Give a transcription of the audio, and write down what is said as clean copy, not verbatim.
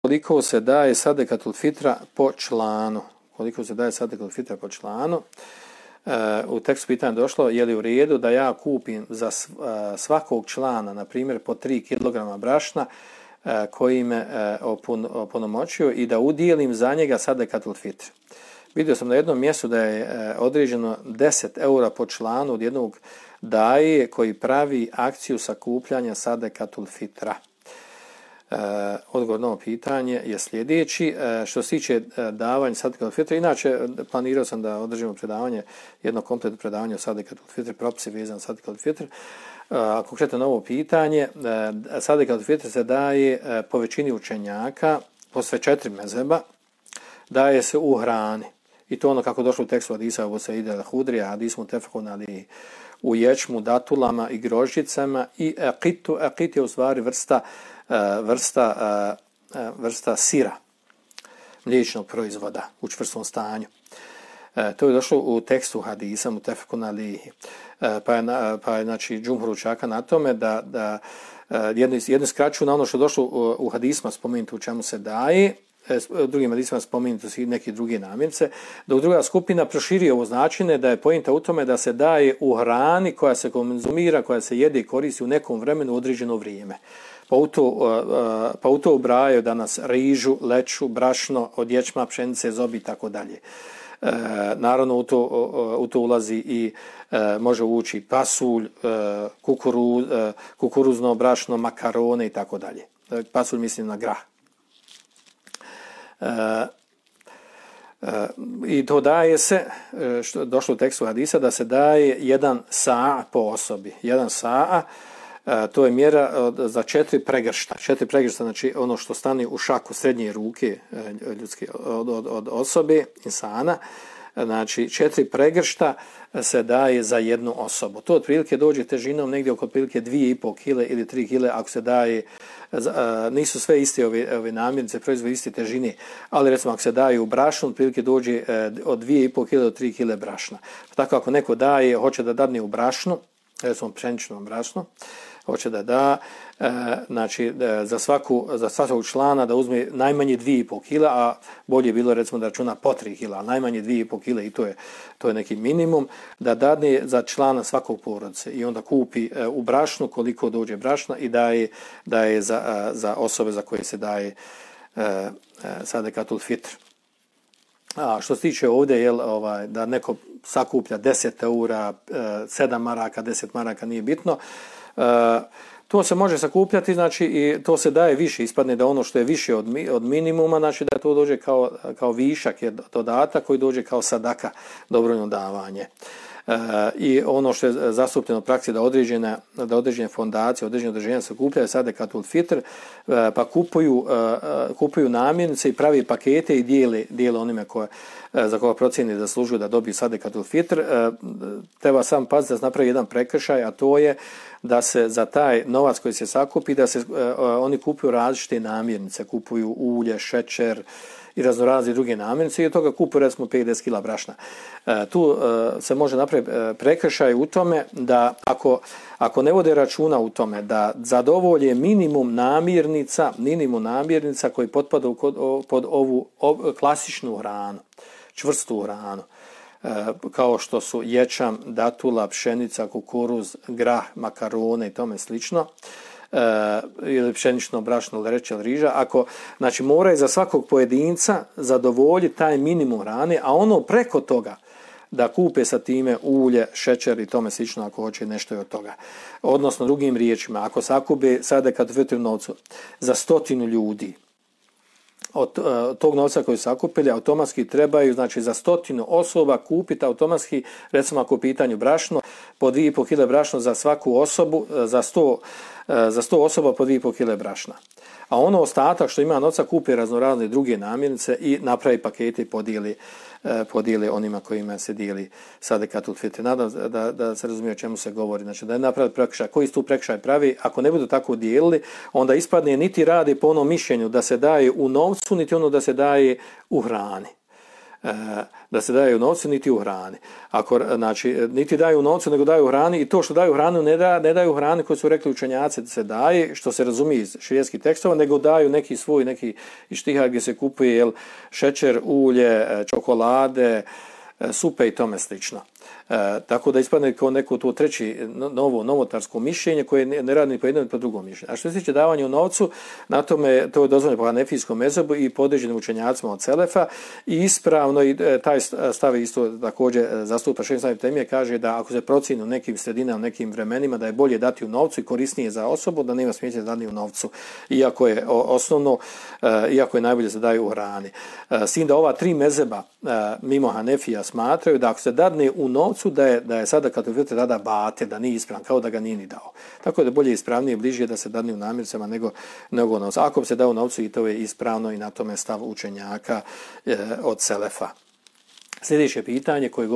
koliko se daje sadekatul fitra po članu. Koliko se daje sadekatul fitra po članu. U tekstu pitanja došlo, je li u redu da ja kupim za svakog člana, na primjer, po 3 kg brašna koji me opunomoćio i da udijelim za njega sadekatul fitr. Vidio sam na jednom mjestu da je određeno 10 eura po članu od jednog daje koji pravi akciju sakupljanja sadekatul fitra. Odgovor na ovo pitanje je sljedeći. Što se tiče davanja sadekatul fitra, inače planirao sam da održimo predavanje, jedno kompletno predavanje o sadekatul fitr, propisi vezan sadekatul fitr. Konkretno na ovo pitanje, sadekatul fitr se daje po većini učenjaka, po sve 4 mezheba, daje se u hrani. I to ono kako došlo u tekstu hadisa Abu Saida al-Hudrija, hadis mutefekun alejhi, u ječmu, datulama i grožđicama i aqitu. Aqit je u stvari vrsta sira, mliječnog proizvoda u čvrstom stanju. To je došlo u tekstu hadisa mutefekun alejhi. Pa je znači džumhur učaka na tome da jedni skraćuju na ono što je došlo u hadisma spomenuto u čemu se daje, drugim hadisima spomenuto su i neke druge namirnice, dok druga skupina proširi ovo značenje da je pointa u tome da se daje u hrani koja se konzumira, koja se jede i koristi u nekom vremenu u određeno vrijeme. Pa u to ubrajaju danas rižu, leču, brašno, od ječma, pšenice, zobi i tako dalje. Naravno u to ulazi i može ući pasulj, kukuruzno brašno, makarone i tako dalje. Pasulj mislim na grah. I to daje se, što došlo u tekstu hadisa, da se daje 1 sa po osobi. 1 sa, to je mjera za 4 pregršta. 4 pregršta, znači ono što stane u šaku srednje ruke ljudske od osobe, insana. Znači 4 pregršta se daje za jednu osobu. To otprilike dođe težinom negdje oko otprilike 2,5 kg ili 3 kg ako se daje, nisu sve iste ove namirnice, proizvode iste težine, ali recimo ako se daje u brašnu, otprilike dođe od 2,5 kg do 3 kg brašna. Tako ako neko daje, hoće da dadne u brašnu, recimo pšeničnom brašnu, hoće da da, znači za svakog člana da uzme najmanje 2,5 kg, a bolje je bilo recimo da računa po 3 kg, a najmanje 2,5 kg i to je neki minimum, da dadne za člana svakog porodice i onda kupi u brašnu koliko dođe brašna i daje za osobe za koje se daje sadekatul fitr. A što se tiče ovdje, da neko sakuplja 10 eura, 7 maraka, 10 maraka, nije bitno, to se može sakupljati, znači i to se daje više, ispadne da ono što je više od minimuma, znači da to dođe kao višak, je dodatak koji dođe kao sadaka, dobrovoljno davanje. I ono što je zastupljeno u praksi da određene fondacije, određene udruženja sakupljaju sadekatul fitr, pa kupuju namirnice i pravi pakete i dijele onime za koga procjeni da zaslužuju da dobiju sadekatul fitr. Treba sam paziti da se napravi jedan prekršaj, a to je da se za taj novac koji se sakupi, da se oni kupuju različite namirnice, kupuju ulje, šećer i raznorazne druge namirnice i od toga kupuju recimo 50 kg brašna. Tu se može napraviti prekršaj u tome da ako ne vode računa u tome da zadovolje minimum namirnica koji potpada pod ovu klasičnu hranu, čvrstu hranu, kao što su ječam, datula, pšenica, kukuruz, grah, makarone i tome slično, ili pšenično brašno, lereće ili riža, ako znači moraju za svakog pojedinca zadovoljiti taj minimum hrane, a ono preko toga da kupe sa time ulje, šećer i tome slično ako hoće nešto i od toga. Odnosno drugim riječima, ako sakupe sadekatul fitr novcu za 100 ljudi, od tog novca koji su sakupili, automatski trebaju, znači za 100 osoba kupiti automatski, recimo ako u pitanju brašno, po 2,5 kg brašno za svaku osobu, za 100 osoba po 2,5 kg brašna. A ono ostatak što ima novca kupi raznorazne druge namirnice i napravi pakete i podijeli onima kojima se dijeli sadekatul fitr. Nadam da se razumije o čemu se govori. Znači da je napraviti prekršaj. Koji tu prekršaj pravi? Ako ne budu tako dijelili, onda ispadne niti radi po onom mišljenju da se daje u novcu, niti ono da se daje u hrani. da se daje u novcu niti u hrani. Ako, znači, niti daju u novcu, nego daju u hrani, i to što daju u hranu ne daju u hrani koji su rekli učenjaci da se daje, što se razumije iz šerijskih tekstova, nego daju neki svoj, neki ištihad gdje se kupuje šećer, ulje, čokolade, supe i tome slično. Tako da ispadne kao neko to treći novotarsko mišljenje koje ne radi ni po jednom ni po drugom mišljenju. A što se tiče davanja u novcu, na tome to je dozvoljeno po hanefijskom mezhebu i podređenim učenjacima od selefa i ispravno i taj stav isto također zastupa Šejh Islam ibn Tejmije, kaže da ako se procjeni u nekim sredinama, u nekim vremenima da je bolje dati u novcu i korisnije za osobu, da nema smetnje da dati u novcu, iako je osnovno, iako je najbolje da daju u hrani. S tim da ova tri mezheba mimo Hanefija smatraju da ako se dadne u novcu, da je sada kad vidite tada bate, da nije ispravan, kao da ga nije ni dao. Tako da bolje ispravnije i bliže da se dadne u namirnicama nego u novcu. Ako se da u novcu, i to je ispravno i na tome stav učenjaka od selefa. Sljedeće pitanje koje